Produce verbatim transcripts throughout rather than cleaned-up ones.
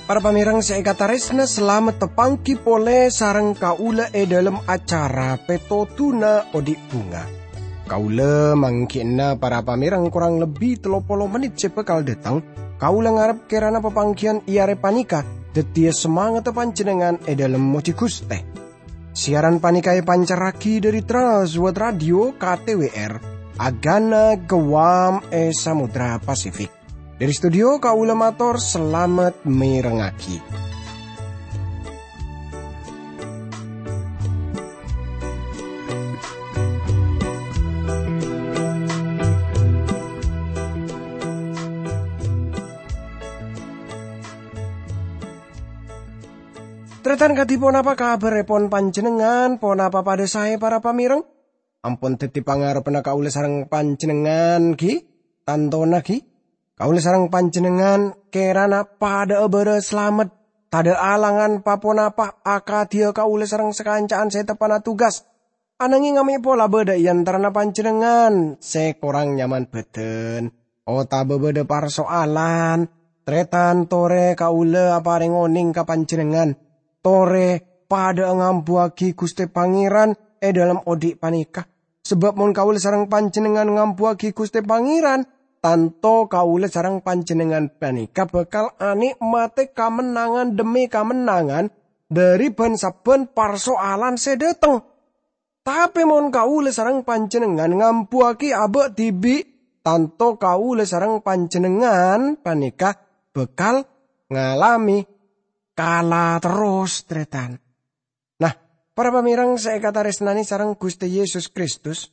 Para pamèrèng sè èkatarèsna, salamet tapangghi polè sareng kaulâ è dhâlem acara Pètodhuna Odi' Bhunga. Kaulâ mangghi'na para pamèrèng korang lebbi tello polo mennit sè bhâkal dâteng. Kaulâ ngarep kèrana papangghiyân è arè panèka dhâddhiyâ samangatta panjhennengngan è dhâlem mojhi Ghustè. Siaran panèka èpancarraghi dhâri Trans World Radio K T W R, Agana Guam è Samudra Pasifik. Dhâri studio kaulâ mator salamet mèrengngaghi. Tarètan kadhi ponapa kabhârèpon panjhennengngan? Ponapa padâ saè, para pamèrèng? Ampon dhâddhi pangarebbhâ kaulâ sareng panjhennengngan, ghi? Tantona, ghi? Kaulâ sareng panjhennengngan kèrana padhâ'â bârâ salamet, tadhâ' alangan pa-ponapa akadhiyâ kaulâ sareng sakanca'an sè teppa'na tugas. Ananghing amè' pola bâdâ è antarana panjhennengngan sè korang nyaman bhâdhân, otabâ bâdâ parsoalan, tarètan torè kaulâ aparèng onèng ka panjhennengngan. Torè padhâ'â ngambuwâghi Ghustè Pangèran è dhâlem odi' panèka. Sabâb mon kaulâ sareng panjhennengngan ngambuwâghi Ghustè Pangèran, tanto kaulâ sareng panjhennengngan panèka bhâkal anè'matè kamennangan dhemmi kamennangan dhâri bân-sabbhân parsoalan sè dâteng. Tapè mon kaulâ sareng panjhennengngan ngambuwâghi abâ' dhibi', tanto kaulâ sareng panjhennengngan panèka bhâkal ngalamè kala terros, tarètan. Nah, para pamèrèng sè èkatarèsnanè sareng Ghustè Yesus Kristus,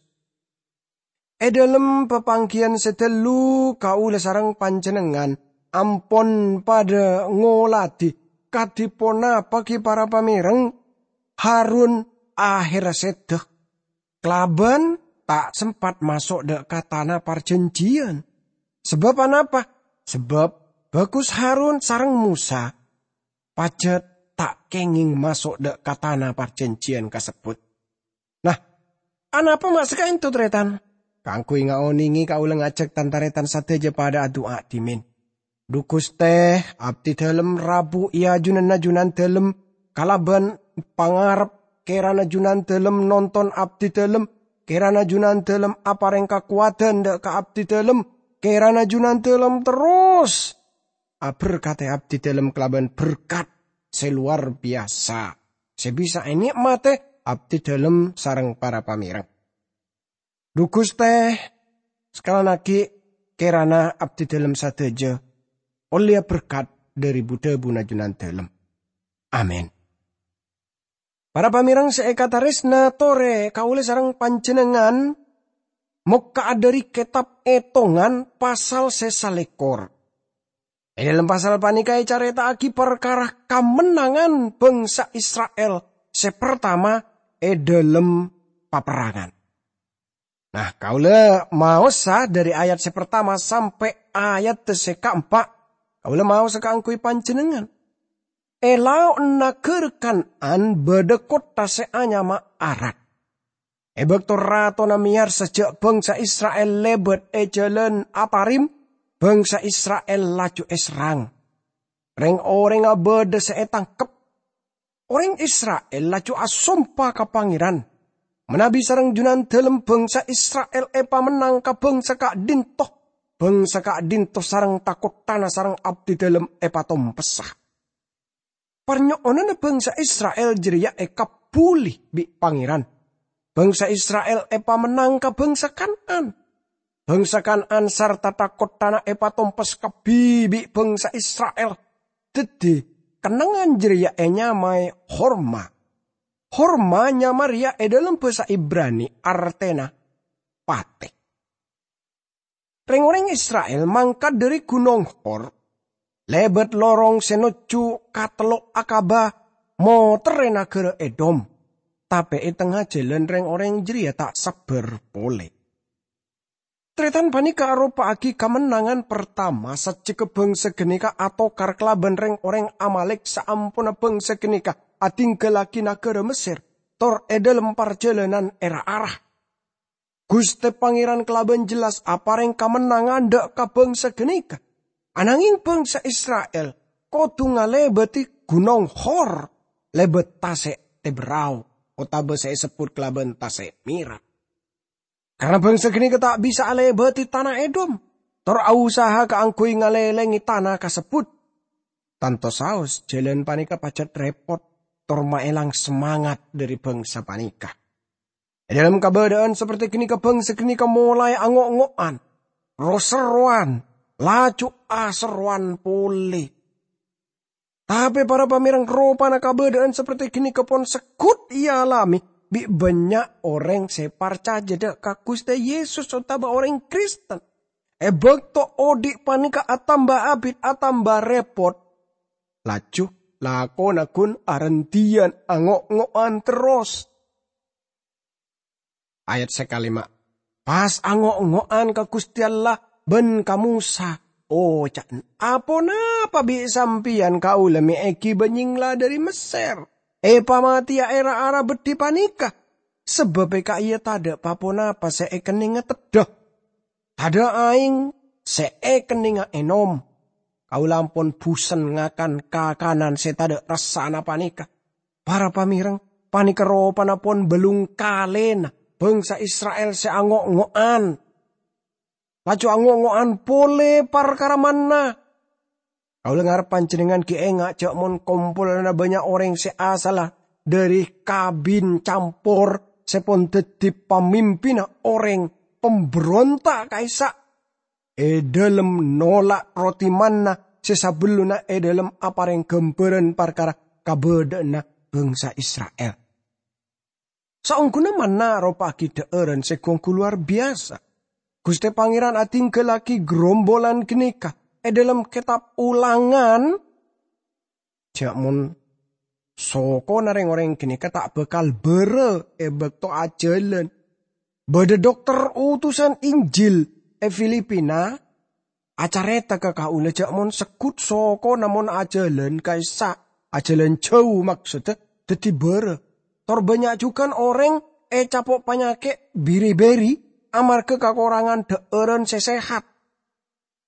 è dhâlem papangghiyân sè ghâllu kaulâ sareng panjhennengngan ampon padhâ ngoladhi kadhi ponapa ghi para pamèrèng Harun ahèrra sèdhâ, kalabân ta' sempat maso' dâ' ka tana parjhânjhiyân. Sabâb anapa? Sabâb bhâghus Harun sareng Mosa pajhât ta' kèngèng maso' dâ' ka tana parjhânjhiyân kasebbhut. Nah, anapa ma' sakaènto, tarètan? Kaangghuy ngaonèngè kaulâ ngajhâk tan-tarètan sadhâjâ padhâ adu'a dhimèn. Dhu Ghustè, abdhi dhâlem rabu è ajunanna Junandhâlem kalabân pangarep, kèrana Junandhâlem nonton abdhi dhâlem, kèrana Junandhâlem aparèng kakowadhân dâ' ka abdhi dhâlem, kèrana Junandhâlem terros aberkadhi abdhi dhâlem kalabân berkat sè lowar biyasa sè bisa ènè'matè abdhi dhâlem sareng para pamèrèng. Dhu Ghustè, sakalèan aghi' kèrana abdhi dhâlem sadhâjâ ollèya berkat dhâri bu-dhâbuna Junandhâlem. Amin. Para pamèrèng sè èkatarèsna, torè kaulâ sareng panjhennengngan mokka'a dhâri kètab Ètongan pasal sè salèkor. È dhâlem pasal panèka ècarèta'aghi parkara kamennangan bhângsa Isra'il sè partama è dhâlem paperrangan. Nah, kaulâ maosa dhâri ayat sè partama sampè' ayat sè kaempa'. Kaulâ maosa kaangghuy panjhennengngan. È lao'na naghârâ Kan'an bâdâ kottha sè anyama Arak. È bâkto ratona mèyarsa jhâ' bhângsa Isra'il lèbât è Jhâlân Atarim, bhângsa Isra'il laju èserrang. Rèng-orèngnga bâdâ sè ètangkep. Orèng Isra'il laju asompa ka Pangèran, manabi sareng Junandhâlem bhângsa Isra'il èpamennang ka bhângsa ka'dinto, bhângsa ka'dinto sareng takottana sareng abdidhâlem èpatompessa. Parnyo'onanna bhângsa Isra'il jârèya èkabbhuli bi' Pangèran. Bhângsa Isra'il èpamennang ka bhângsa Kan'an. Bhângsa Kan'an sarta takottana èpatompes kabbhi bi' bhângsa Isra'il. Dhâddhi, kennengngan jârèya ènyamaè Horma. Horma nyama rèya è dhâlem bhâsa Ibrani artèna patè. Rèng-orèng Isra'il mangkat dhâri Gunong Hor, lèbât lorong sè nojjhu ka Tello' Akaba, motèrrè naghârâ Edom. Tapè è tengnga jhâlân rèng-orèng jârèya ta' sabbhâr polè. Tarètan panèka aropa'aghi kamennangan partama sajjhegghâ bhângsa ghânèka atokar kalabân rèng-orèng Amalek saamponna bhângsa ghânèka adhinggallaghi naghârâ Messer, tor è dhâlem parjhâlânan è ra-ara. Ghustè Pangèran kalabân jelas aparèng kamennangan dhâ' ka bhângsa ghânèka. Ananghèng bhângsa Isra'il kodhu ngalèbâdhi Ghunong Hor, lèbât Tasè' Tebrao, otabâ sè èsebbhut kalabân Tasè' Mèra. Karana bhângsa ghânèka ta' bisa alèbâdhi tana Edom, tor ausaha kaangghuy ngalèlèngè tana kasebbhut. Tanto saos, jhâlân panèka pajhât rèpot, tor maèlang samangat dhâri bhângsa panèka. È dhâlem kabâdâ'ân saperti ghânèka, bhângsa ghânèka molaè ango'-ngo'an, ro-serrowan, laju aserrowan polè. Tapè para pamèrèng, ropana kabâdâ'ân saperti ghânèka pon segghut èalamè bi' bânnya' orèng sè parcajâ dhâ' ka Ghustè Yesus otabâ orèng Kristen. È bâkto odi' panèka atamba abit, atamba rèpot, laju lakona ghun arendhiyân ango'-ngo'an terros. Ayat sakalèma', pas ango'-ngo'an ka Ghustè Allah bân ka Mosa, oca'na, "Aponapa bi' sampèyan kaulâ mè' èghibâ nyèngla dhâri Messer, èpamatèya è ra-ara beddhi panèka? Sabâbbhâ ka'iyâ tadâ' pa-ponapa sè èkennènga teddhâ. Tadâ' aèng sè èkennènga ènom. Kaulâ ampon bhusen ngakan kakanan sè tadâ' rassana panèka." Para pamèrèng, panèka ropana pon bâlung kalèna bhângsa Isra'il sè ango'-ngo'an. Laju ango'-ngo'an polè parkara manna. Kaulâ ngarep panjhennengngan ghi' enga' jhâ' mon kompolanna bânnya' orèng sè asalla dhâri kabin campor sè pon dhâddhi pamimpinna orèng pambronta' ka'issa' è dhâlem nola' roti manna sè sabellunna è dhâlem aparèng ghâmbhârân parkara kabâdâ'ânna bhângsa Isra'il. Saongghuna manna aropa'aghi dhâ'ârân sè ghu-ongghu lowar biyasa. Ghustè Pangèran adhinggallaghi grombolan ghânèka è dhâlem Kètab Ulangan, jhâ' mon sokona rèng-orèng ghânèka ta' bhâkal bârâ è bâkto ajhâlân. Bâdâ dokter utusan Injil è Filipina acarèta ka kaulâ jhâ' mon segghut sokona mon ajhâlân ka'issa', ajhâlân jhâu maksodda, dhâddhi bârâ. Tor bânnya' jhughân orèng ècapo' panyakè' biri-biri amarghâ kakorangan dhâ'ârân sè sehat.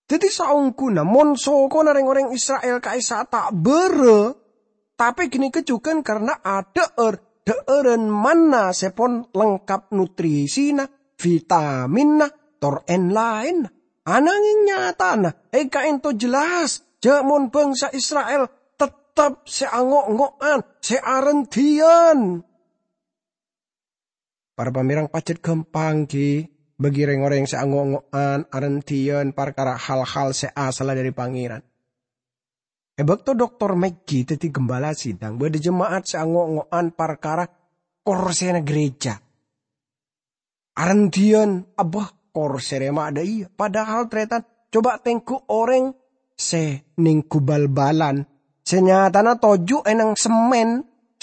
Dhâddhi saongghuna mon sokona rèng-orèng Isra'il ka'issa' ta' bârâ, tapè ghânèka jhughân karana adhâ'âr dhâ'ârân manna sè pon lengkap nutrisina, vitaminna, tor èn-laènna. Ananghèng nyatana, è ka'ènto jelas jhâ' mon bhângsa Isra'il tettep sè ango'-ngo'an, sè arendhiyân. Para pamèrèng, pajhât ghâmpang ghi' bagi rèng-orèng sè ango'-ngo'an, arendhiyân parkara hal-hal sè asalla dhâri Pangèran. È bâkto Doktor Maggie dhâddhi ghâmbhâlâ sidang, bâdâ jemaat sè ango'-ngo'an parkara korsèna ghârèjâ. Arendhiyân, "Abbâ, korsè rèya ma' dâ' iyâ." Padahal, tarètan, coba tengghu orèng sè nèngghu bal-balan, sè nyatana toju' è nang semmèn,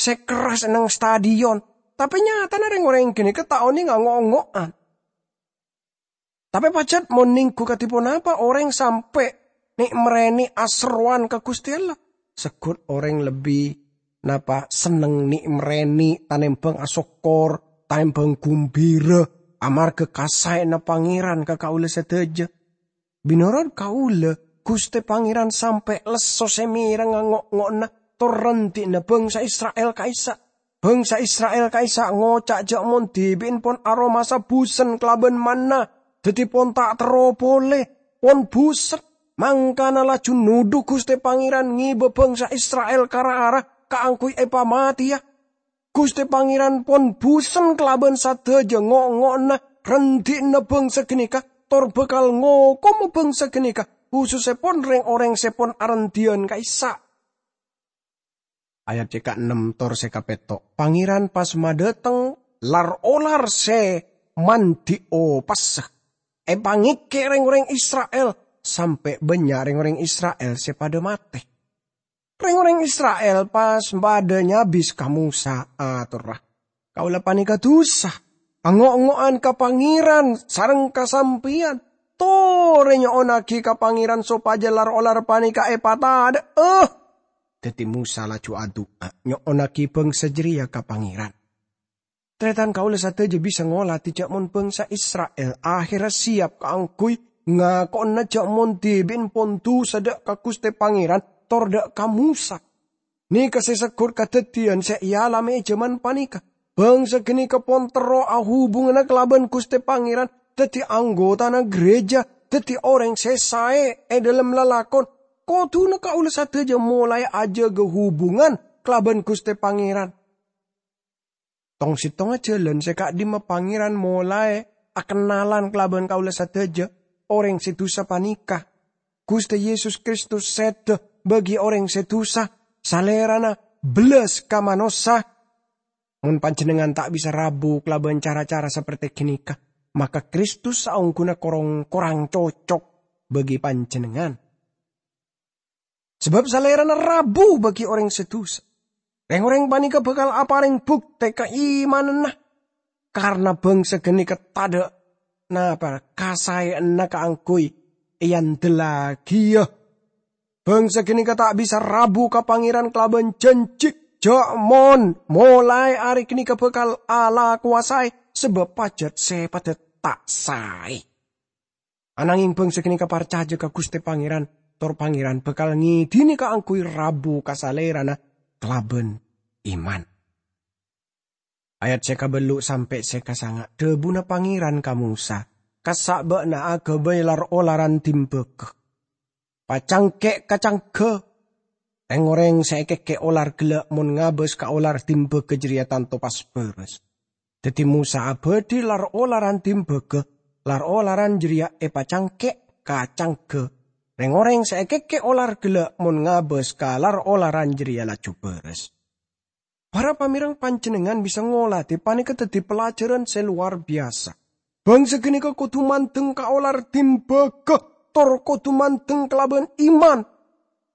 sè kerras è nang stadion. Tapè nyatana rèng-orèng ghânèka ta' onèng ango'-ngo'an. Tapè pajhât mon nèngghu kadhi ponapa orèng sampè' nè'-marènè' aserrowan ka Ghustè Allah. Segghut orèng lebbi napa senneng nè'-marènè' tanèmbhâng asokkor, tanèmbhâng ghumbhira, amarghâ kasaèna Pangèran ka kaulâ sadhâjâ. Mènorot kaulâ, Ghustè Pangèran sampè' lesso sè mèreng ango'-ngo'anna tor rendhi'na bhângsa Isra'il ka'issa'. Bhângsa Isra'il ka'issa' ngoca' jhâ' mon dhibi'en pon aromasa bhusen kalabân manna, dhâddhi pon ta' terro polè, pon bhusen. Mangkana laju nodhu Ghustè Pangèran ngèbâ bhângsa Isra'il ka ra-ara kaangghuy èpamatèya. Ghustè Pangèran pon bhusen kalabân sadhâjâ ngo'-ngo'anna rendhi'na bhângsa ghânèka, tor bhâkal ngokoma bhângsa ghânèka, khusussèpon rèng-orèng sè pon arendhiyân ka'issa'. Ayat sè kaennem tor sè kapètto', Pangèran pas madhâteng lar-olar sè mandhi' opassa, èpangèkkè' rèng-orèng Isra'il, sampè' bânnya' rèng-orèng Isra'il sè padâ matè. Rèng-orèng Isra'il pas padâ nyabis ka Mosa, atorra, "Kaulâ panèka dhusa, ango'-ngo'an ka Pangèran sareng ka sampèyan. Torè nyo'onnaghi ka Pangèran sopajâ lar-olar panèka èpatadhâ'â." Daddi Mosa laju adu'a, nyo'onnagi bangsa jareya ka Pangeran. Taretan kaula sadaja bisa ngoladi ja' mon bangsa Isra'il aherra siyap kaangguy ngako'ana ja' mon dhibi'en pon dusa dha' ka Guste Pangeran tor dha' ka Mosa. Neka se seggut kadaddiyan se ealame e jaman paneka. Bangsa ganeka pon terro ahubungana kalaban Guste Pangeran, daddi anggotana gereja, daddi oreng se sae e dhalem lalakon. Koduna kaula sadaja molae ajaga hubungan kalaban Guste Pangeran. Tong-settonga jalan se ka'dimma Pangeran molae akennalan kalaban kaula sadaja, oreng se dusa paneka. Guste Yesus Kristus seda bagi oreng se dusa, Salerana bellas ka manossa. Mon panjennengngan ta' bisa rabu kalaban cara-cara saperte ganeka, maka Kristus saongguna korong-korang cocok bagi panjennengngan. Sabab Salerana rabu bagi oreng se dusa. Reng-oreng paneka bakal apareng bukte kaimananna, karna bangsa ganeka tadha' napa kasae'anna kaangguy eandellagiya. Bangsa ganeka ta' bisa rabu ka Pangeran kalaban janji ja' mon molae are ganeka bakal alakowa sae, sabab pajat se padha ta' sae. Anangeng bangsa ganeka parcaja ka Guste Pangeran, tor Pangeran bakal ngedine kaangguy rabu ka Salerana kalaban iman. Ayat se kaballu' sampe' se kasanga', dhabuna Pangeran ka Mosa, "Kassa' ba'na agabay lar-olaran dimbaga. Pacangke' ka cangga. Reng-oreng se ekeke' olar gella' mon ngabas ka olar dimbaga jareya tanto pas baras." Daddi Mosa abadhi lar-olaran dimbaga, lar-olaran jareya epacangke' ka cangga. Reng-oreng se ekeke' olar gella' mon ngabas ka lar-olaran jareya laju baras. Para pamereng, panjennengngan bisa ngoladi paneka daddi pelajaran se lowar biyasa. Bangsa ganeka kodu mandeng ka olar dimbaga, tor kodu mandeng kalaban iman.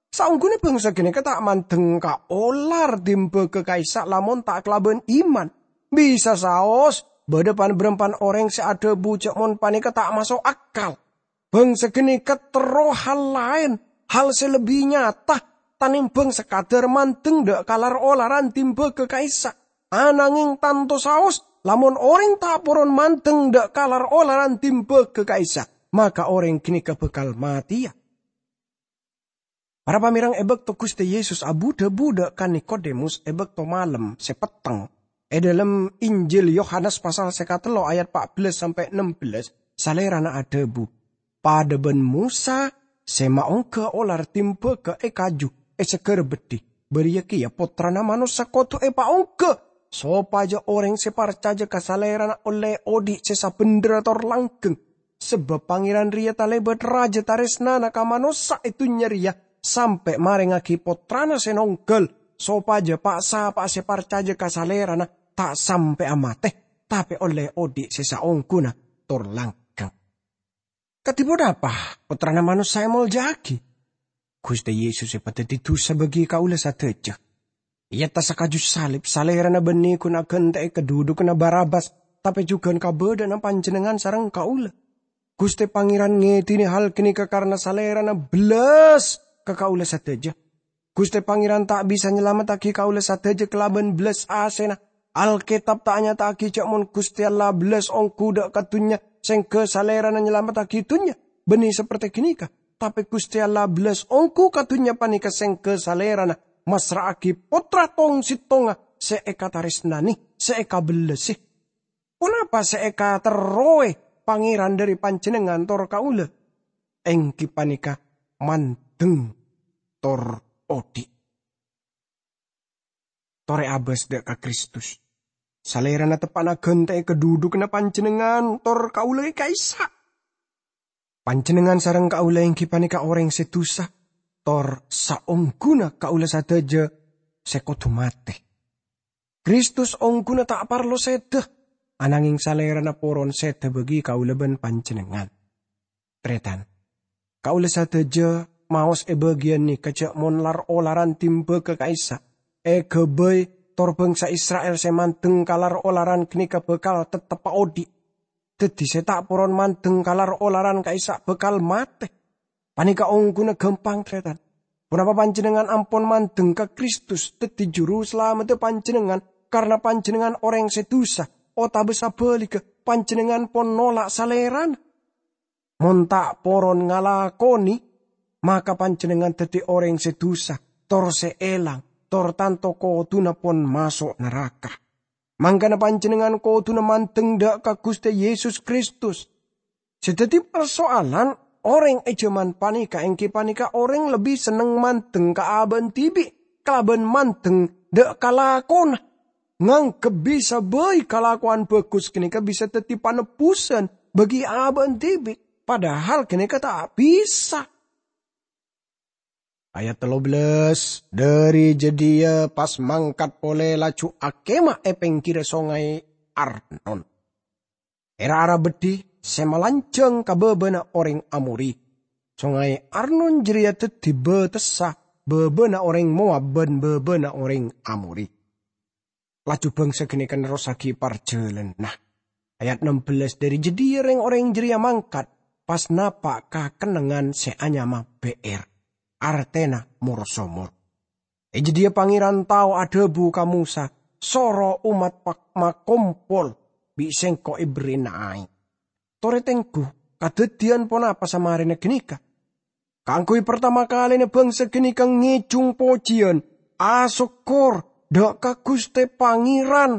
Saongguna bangsa ganeka ta' mandeng ka olar dimbaga ka'issa' lamon ta' kalaban iman. Bisa saos, badha pan-barampan oreng se adhabu ja' mon paneka ta' maso' akal. Bangsa ganeka terro hal laen, hal se lebbi nyata, tanimbang sakadar mandeng dha' ka lar-olaran dimbaga ka'issa'. Anangeng tanto saos, lamon oreng ta' poron mandeng dha' ka lar-olaran dimbaga ka'issa', maka oreng ganeka bakal mateya. Para pamereng, e bakto Guste Yesus abu-dhabu dha' ka Nikodemus e bakto malem se petteng, e dhalem Injil Yohanes pasal se katello ayat pa' bellas sampe' ennem bellas, Salerana adhabu, "Padha ban Mosa se maongga olar dimbaga e kaju e Sagara Beddhi, bariya keya Pottrana Manossa kodu epaongga, sopaja oreng se parcaja ka Salerana olle odhi' se sabendherra tor langgeng. Sabab Pangeran reya talebat raja taresnana ka manossa e dunnya reya, sampe' marengngagi Pottrana se nonggal, sopaja pa'-sapa'a se parcaja ka Salerana ta' sampe'a mate, tape olle odhi' se saongguna tor langgeng." Kadi ponapa Pottrana Manossa emolja'agi? Guste Yesus epadaddi dusa bagi kaula sadaja. Eattas kaju salib, Salerana banne gun agante'e kadhudhuganna Barabbas, tape jugan kabadha'anna panjennengngan sareng kaula. Guste Pangeran ngedine hal ganeka karna Salerana bellas ka kaula sadaja. Guste Pangeran ta' bisa nyalamettagi kaula sadaja kalaban bellas asena. Alketab ta' nyata'agi ja' mon Guste Allah bellas onggu dha' ka dunnya, sengga Salerana nyalamettagi dunnya. Banne saperte ganeka, tape Guste Allah bellas onggu ka dunnya paneka sengga Salerana massra'agi Pottra tong-settonga se ekataresnane, se ekabellase. Ponapa se ekaterrowe Pangeran dhari panjennengngan tor kaula? Enggi paneka mandeng tor odhi'. Tore abas dha' ka Kristus. Salerana teppa'na gante'e kadhudhuganna panjennengngan tor kaula e ka'issa'. Panjennengngan sareng kaula enggi paneka oreng se dusa, tor saongguna kaula sadaja se kodu mate. Kristus ongguna ta' parlo seda, anangeng Salerana poron seda bagi kaula ban panjennengngan. Taretan, kaula sadaja maos e bagiyan neka ja' mon lar-olaran dimbaga ka'issa' egabay tor bangsa Isra'il se mandeng ka lar-olaran ganeka bakal teteppa odhi'. Daddi se ta' poron mandeng ka lar-olaran ka'issa' bakal mate. Paneka ongguna gampang, taretan. Ponapa panjennengngan ampon mandeng ka Kristus daddi Juru Salameddhâ panjennengngan karana panjennengngan orèng sè dusa, otabâ sabhâligghâ, panjennengngan pon nolak Salèrana? Mon ta' poron ngalakonè, maka panjennengngan daddi orèng sè dusa, tor sè èlang, tor tanto kodhuna pon maso' naraka. Mangkana panjennengngan kodhuna mandeng dâ' ka Ghustè Yesus Kristus. Sè daddi parsoalan, orèng è jhâman panèka èngghi panèka orèng lebbi senneng mandeng ka abâ'na dhibi' kalabân mandeng dâ' ka lakona. Nganggep bisa bhâi kalakowan bhâghus ghânèka bisa daddi panebbusan bagi abâ'na dhibi', padahal ghânèka ta' bisa. Ayat tello bellas, "Dhâri jâdiyâ pas mangkat polè laju akèma è pèngghirra Songay Arnon, è ra-ara beddhi sè malanjhâng ka bâbâna orèng Amori. Songay Arnon jârèya daddi bâtessa bâbâna orèng Moab bân bâbâna orèng Amori." Laju bângsa ghânèka nerrossaghi parjhâlânanna. Ayat ennem bellas, "Dhâri jâdiyâ rèng-orèng jârèya mangkat, pas napa' ka kennengngan sè anyama Be'er, artèna mor-somor. È jâdiyâ Pangèran tao adhâbu ka Mosa, 'Soro ommat pa-, makompol, bi' Sèngko' èberri'ana aèng.' Torè tengghu, kadhâddhiyân ponapa samarèna ghânèka? Kaangghuy partama kalèna bângsa ghânèka ngèjhung pojhiyân, asokkor dâ' ka Ghustè Pangèran."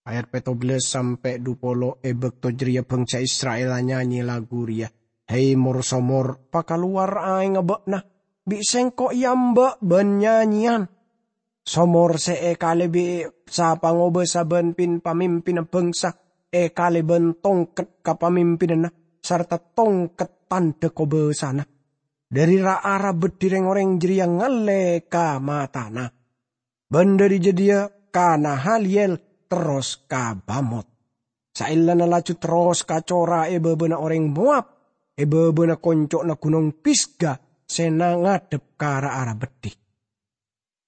Ayat pètto bellas sampè' dupolo, "È bâkto jârèya bângsa Isra'il anyanyè lagu rèya, 'Hè, mor-somor, pakalowar aèngnga bâ'na, bi' Sèngko' èamba' bân nyanyèyan.' Somor sè èkalè bi' sa-pangobâsa bân pin-pamimpinna bângsa, èkalè bân tongket kapamimpinanna sarta tongket tandhâ kobâsana. Dhâri ra-ara beddhi rèng-orèng jârèya ngallè ka matana. Bân dhâri jâdiyâ ka Nahaliyel terros ka Bamot. Saellana laju terros ka cora è bâbâna orèng Moab, è bâbâna konco'na Gunong Pisga sè na-, ngadhep ka ra-ara beddhi."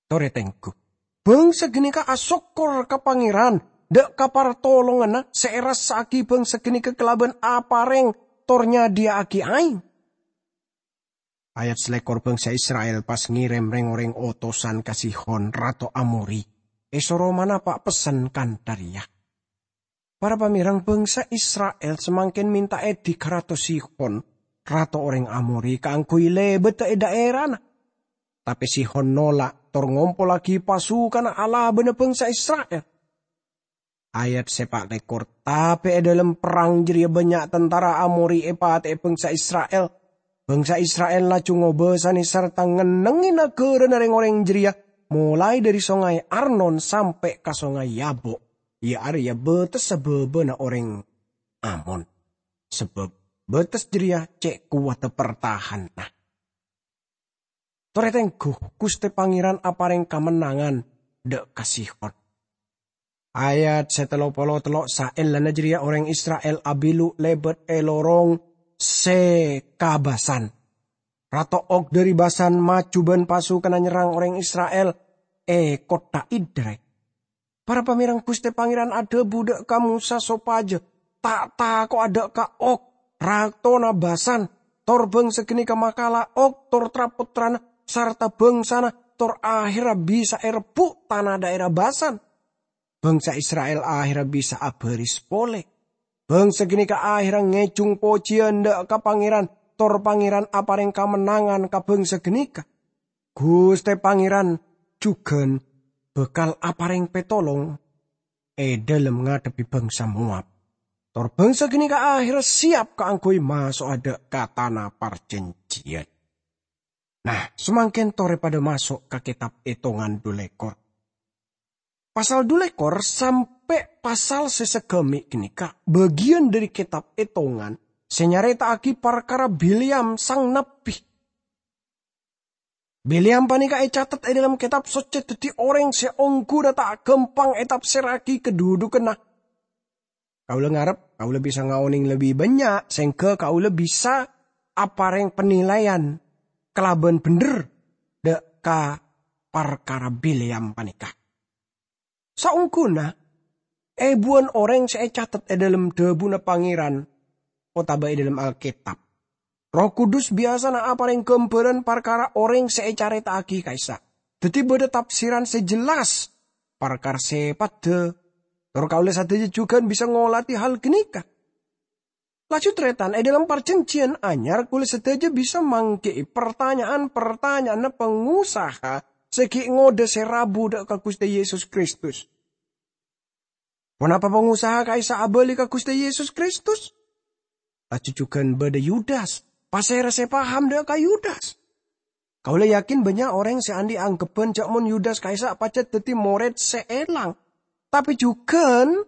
Torè tengghu. Bângsa ghânèka asokkor ka Pangèran dâ' ka partolonganna sè èrassa'aghi bângsa ghânèka kalabân aparèng tor nyadhiyâ'aghi aèng. Ayat salèkor, "Bângsa Isra'il pas ngèrèm rèng-orèng otosan ka Sihon, rato Amori, èsoro manapa' pessen kantha rèya." Para pamèreng, bângsa Isra'il samangkèn mènta èdhi ka Rato Sihon, rato orèng Amori, kaangghuy lèbâdhâ è dhaèrana. Tapè Sihon nola' tor ngompollaghi pasukanna alabâna bângsa Isra'il. Ayat sè pa' lèkor, "Tapè è dhâlem perrang jârèya bânnya' tantara Amori èpatè'è bângsa Isra'il. Bângsa Isra'il laju ngobâsanè sarta ngennengngè naghârâna rèng-orèng jârèya, molaè dhâri Songay Arnon sampè' ka Songay Yabok, iyâ arèya bâtessa bâbâna orèng Amon, sabâb bâtes jârèya cè' kowadhâ partahanna." Torè tengghu, Ghustè Pangèran aparèng kamennangan dâ' ka Sihon. Ayat sè tello polo tello', saellana jârèya orèng Isra'il abilu lèbât è lorong sè ka Basan. Rato Og dhâri Basan maju bân pasukanna nyerrang orèng Isra'il è kottha Edrei. Para pamèreng, Ghustè Pangèran adhâbu dâ' ka Mosa sopajâ ta' tako'a dâ' ka Og, ratona Basan, tor bângsa ghânèka makala Og tor tra-pottrana sarta bângsana, tor ahèrra bisa èrebbhu' tana dhaèra Basan. Bângsa Isra'il ahèrra bisa abhâris polè. Bângsa ghânèka ahèrra ngèjhung pojhiyân dâ' ka Pangèran, tor Pangèran aparèng kamennangan ka bângsa ghânèka. Ghustè Pangèran jhughân bhâkal aparèng pètolong è dhâlem ngadhebbhi bângsa Moab. Tor bângsa ghânèka ahèrra sèyap kaangghuy maso'a dâ' ka Tana Parjhânjhiyân. Nah, samangkèn torè padâ maso' ka Kètab Ètongan dhu lèkor. Pasal dhu lèkor sampè' pasal sè saghâmè' ghânèka bâgiyân dhâri Kètab Ètongan sè nyarèta'aghi parkara Bileam sang nabbhi. Bileam panèka ècatet è dhâlem Kètab Soccè dhâddhi orèng sè ongghuna ta' ghâmpang ètafsèrraghi kadhudhukanna. Kaulâ ngarep kaulâ bisa ngaonèng lebbi bânnya', sèngghâ kaulâ bisa aparèng panilaian kalabân bhendher dâ' ka parkara Bileam panèka. Saongghuna èbuwân orèng sè ècatet è dhâlem dhâbuna Pangèran otabâ è dhâlem Alkètab. Erroh Kudus biyasana aparèng ghâmbhârân parkara orèng sè ècarèta'aghi ka'issa'. Dhâddhi bâdâ tafsiran sè jelas parkara sèpaddhâ. Tor kaulâ sadhâjâ jhughân bisa ngolatè hal ghânèka. Laju tarètan, è dhâlem Parjhânjhiyân Anyar kaulâ sadhâjâ bisa mangghi'i partanya'an-partanya'anna pangosaha sè ghi' ngodâ sè rabu dâ' ka Ghustè Yesus Kristus. Ponapa pangosaha ka'issa' abâli ka Ghustè Yesus Kristus? Laju jhughân bâdâ Yudas. Pasèra sè paham dâ' ka Yudas? Kaulâ yakin bânnya' orèng sè andi' angghebbhân jâ' mon Yudas ka'issa' pajhât dhâddhi morèd sè èlang. Tapè jhughân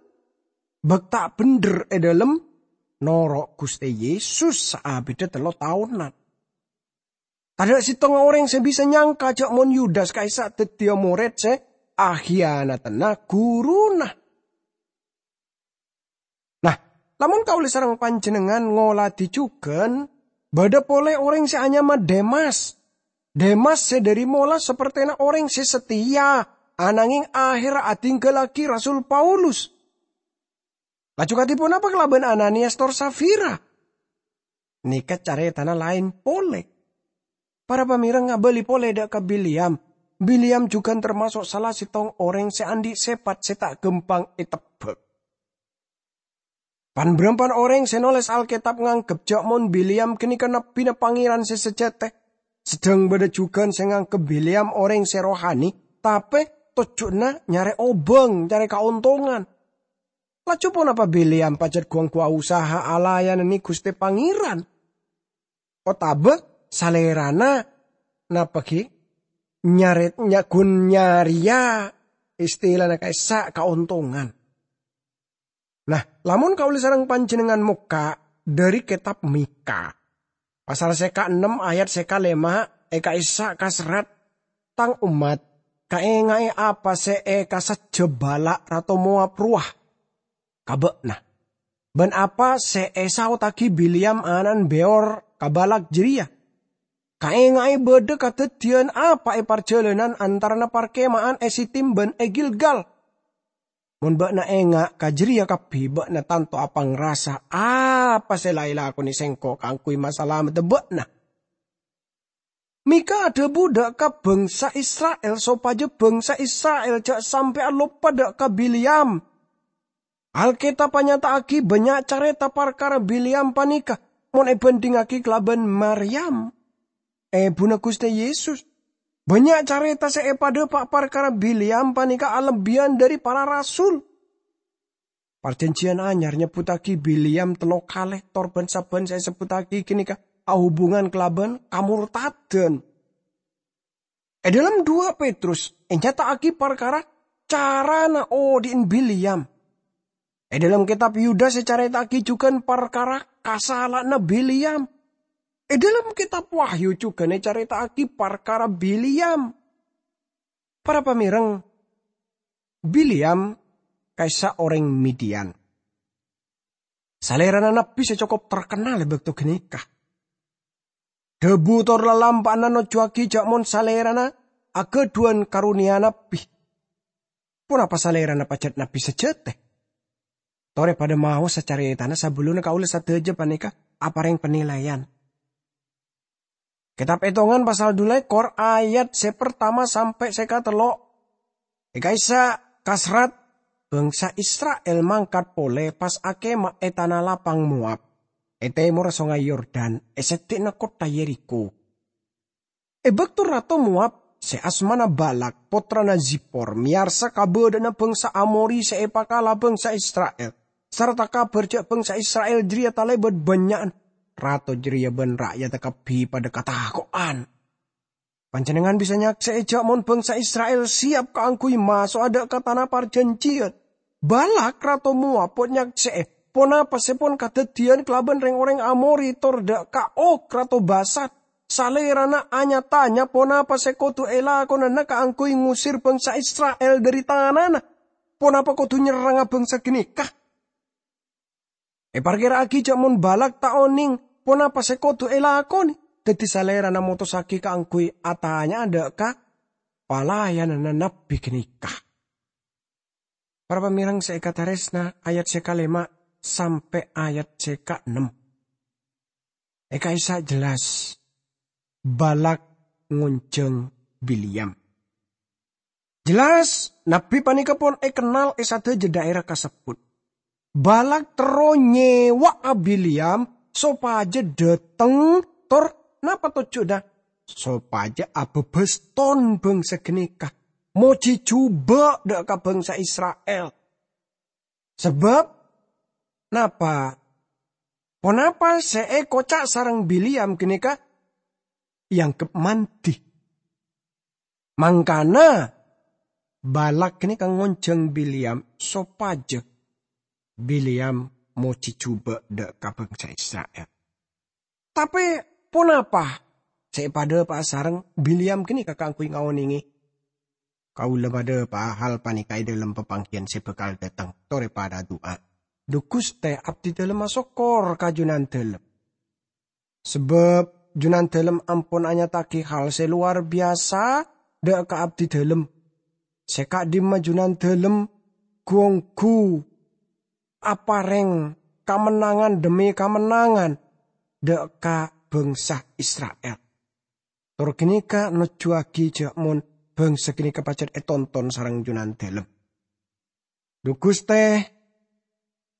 bâk ta' bhendher è dhâlem noro' Ghustè Yesus saabidhâ tello taonan. Tadâ' sèttonga orèng sè bisa nyangka jâ' mon Yudas ka'issa' dhâddhiyâ morèd sè ahiyanatana ghuruna. Nah, lamon kaulâ sareng panjhennengngan ngolatè jhughân, bâdâ polè orèng sè anyama Demas. Demas sè dhâri mola sapertèna orèng sè sateya, ananghèng aherra adhinggallaghi Rasul Paulus. Laju kadhi ponapa kalabân Ananiyas tor Safira? Nèka carètana laèn polè. Para pamèreng, abâli polè dâ' ka Bileam. Bileam jhughân tamaso' sala sèttong orèng sè andi' sèpat sè ta' ghâmpang ètebbhâk. Pan-bârâmpan orèng sè nolès Alkètab nganggep jâ' mon Bileam ghânèka nabbhina Pangèran sè sajhâtè. Saddhâng bâdâ jhughân sè nganggep Bileam orèng sè rohani, tapè tojjhuna nyarè obâng, nyarè kaontongan. Laju ponapa Bileam pajhât ghu-angghuwâ usaha alayananè Ghustè Pangèran? Otabâ salèrana napa ghi? Nyarè-, nya-, ghun nyarèya istilana ka'issa' kaontongan. Nah, lamon kaulâ sareng panjhennengngan mokka' dhâri Kètab Mikha. Pasal sèka ennem ayat sèka lèma' è ka'issa' kaserrat, "Tang ommat, kaènga'è apa sè èkasajjhâ Balak rato Moab rowa. Ka bâ'na, bân apa sè èsaodhâghi Bileam ana'na Beor ka Balak jârèya. Kaènga'è bâdâ kadhâddhiyân apa è parjhâlânan antarana parkema'an è Sitim bân è Gilgal. Mon bâ'na enga' ka jârèya kabbhi, bâ'na tanto apangrasa apa sè la èlakonè sèngko' kaangghuy masalamedda bâ'na." Mikha adhâbu dâ' ka bhângsa Isra'il sopajâ bhângsa Isra'il jhâ' sampè' aloppa dâ' ka Bileam. Alkètab anyata'aghi bânnya' carèta parkara Bileam panèka mon èbhândhingngaghi kalabân Maryam, èbhuna Ghustè Yesus. Bânnya' carèta sè èpadhâpa' parkara Bileam panèka alebbiyân dhâri para rasul. Parjhânjhiyân Anyar nyebbhuttaghi Bileam tello kalè, tor bân-sabbhân sè èsebbhuttaghi ghânèka ahubungan kalabân kamortadhân. È dhâlem duwâ' Petrus ènyata'aghi parkara carana odi'na Bileam. È dhâlem kètab Yudas ècarèta'aghi jhughân parkara kasala'anna Bileam. È dhâlem kètab Wahyu jhughân ècarèta'aghi parkara Bileam. Para pamèreng, Bileam ka'issa' orèng Midian. Salèrana nabbhi sè cokop terkennal è bâkto ghânèka. Dhâbu tor lalampa'anna nojjhuwâghi jâ' mon salèrana aghâdhuwân karonèya nabbhi. Ponapa salèrana pajhât nabbhi sajhâtè? Torè padâ maosa carètana sabellunna kaulâ sadhâjâ panèka aparèng panilaian. Kètab Ètongan pasal dhu lèkor ayat sè partama sampè' sè katello'. È ka'issa' kaserrat, bhângsa Isra'il mangkat polè pas akèma è tana lapang Moab, è tèmorra Songay Yordan, è sèddhi'na kottha Yerikho. È bâkto rato Moab, sè asmana Balak, pottrana Zipor, mèyarsa kabâdâ'ânna bhângsa Amori sè èpakala bhângsa Isra'il, sarta kabhâr jâ' bhângsa Isra'il jârèya talèbât bânnya'na, rato jârèya bân ra'yadda kabbhi padâ katako'an. Panjhennengngan bisa nyaksè'è jâ' mon bhângsa Isra'il sèyap kaangghuy maso'a dâ' ka Tana Parjhânjhiyân. Balak, rato Moab, pon nyaksè'è ponapa sè pon kadhâddhiyân kalabân rèng-orèng Amori tor dâ' ka Og, rato Basan. Salèrana nya-tanya ponapa sè kodhu èlakonana kaangghuy ngosèr bhângsa Isra'il dhâri tanana. Ponapa kodhu nyerranga bhângsa ghânèka? Èparkèra'aghi jâ' mon Balak ta' onèng ponapa sè kodhu èlakonè, dhâddhi salèrana motossaghi kaangghuy atanya'a dâ' ka palayananna nabbhi ghânèka. Para pamèreng sè èkatarèsna, ayat sè kalèma' sampè' ayat sè kaennem. È ka'issa' jelas Balak ngonjhâng Bileam. Jelas, nabbhi panèka pon èkennal è sadhâjâ dhaèra kasebbhut. Balak terro nyèwa'a Bileam sopajâ dhâteng, tor napa tojjhuna? Sopajâ abhâbhâs ton bhângsa ghânèka, mojhi jhubâ' dhâ' ka bhângsa Isra'il. Sabâb napa? Ponapa sè èkoca' sareng Bileam ghânèka èangghep mandhi. Mangkana, Balak ghânèka ngonjhâng Bileam sopajâ Bileam mojhi jhubâ' dhâ' ka bhângsa Isra'il. Tapè ponapa sè èpadhâpa'a sareng Bileam ghânèka kaangghuy ngaonèngè? Kaulâ padhâpa'a hal panèka è dhâlem papangghiyân sè bhâkal dhâteng, torè padhâ adu'a. Dhu Ghustè, abdhidhâlem asokkor ka Jhunandhâlem. Sabâb Jhunandhâlem ampon anyata'aghi hal sè lowar biyasa dhâ' ka abdhidhâlem. Sè ka'dimma Jhunandhâlem ghu-ongghu aparèng kamennangan dhemmi kamennangan dhâ' ka bhângsa Isra'il. Tor ghânèka nojjhuwâghi jhâ' mon bhângsa ghânèka pajhât ètonton sareng Jhunandhâlem. Dhu Ghustè,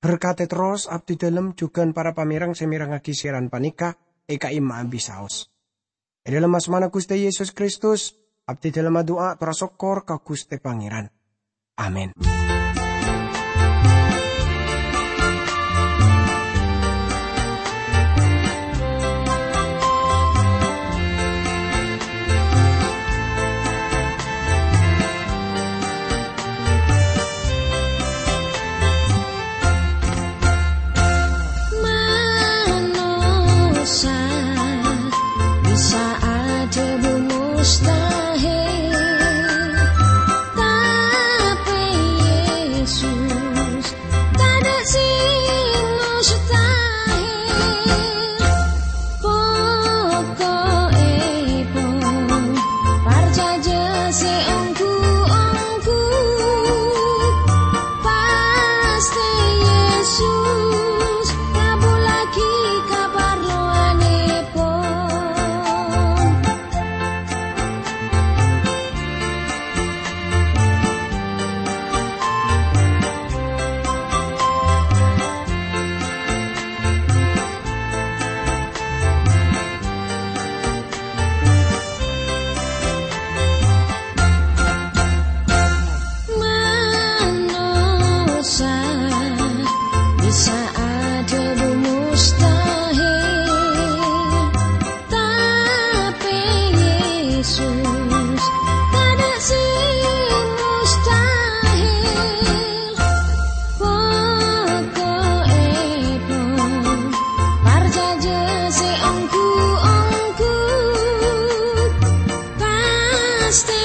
berkatè terros abdhidhâlem jhughân para pamèreng sè mèrengngaghi siaran panèka è ka'imma'a bisaos. È dhâlem asmana Ghustè Yesus Kristus, abdhidhâlem adu'a tor asokkor ka Ghustè Pangèran. Amin. Manossa bisa adhâbu mustahil, tapè Yesus tadâ' sè mustahil. Poko'èpon, parcajâ sè ongghu-ongghu, pastè Yesus ngabhullaghi kaparlowanèpon. Manossa bisa adhâbu mustahil, tapè Yesus tadâ' sè mustahil. Poko'èpon, parcajâ sè ongghu-ongghu, pastè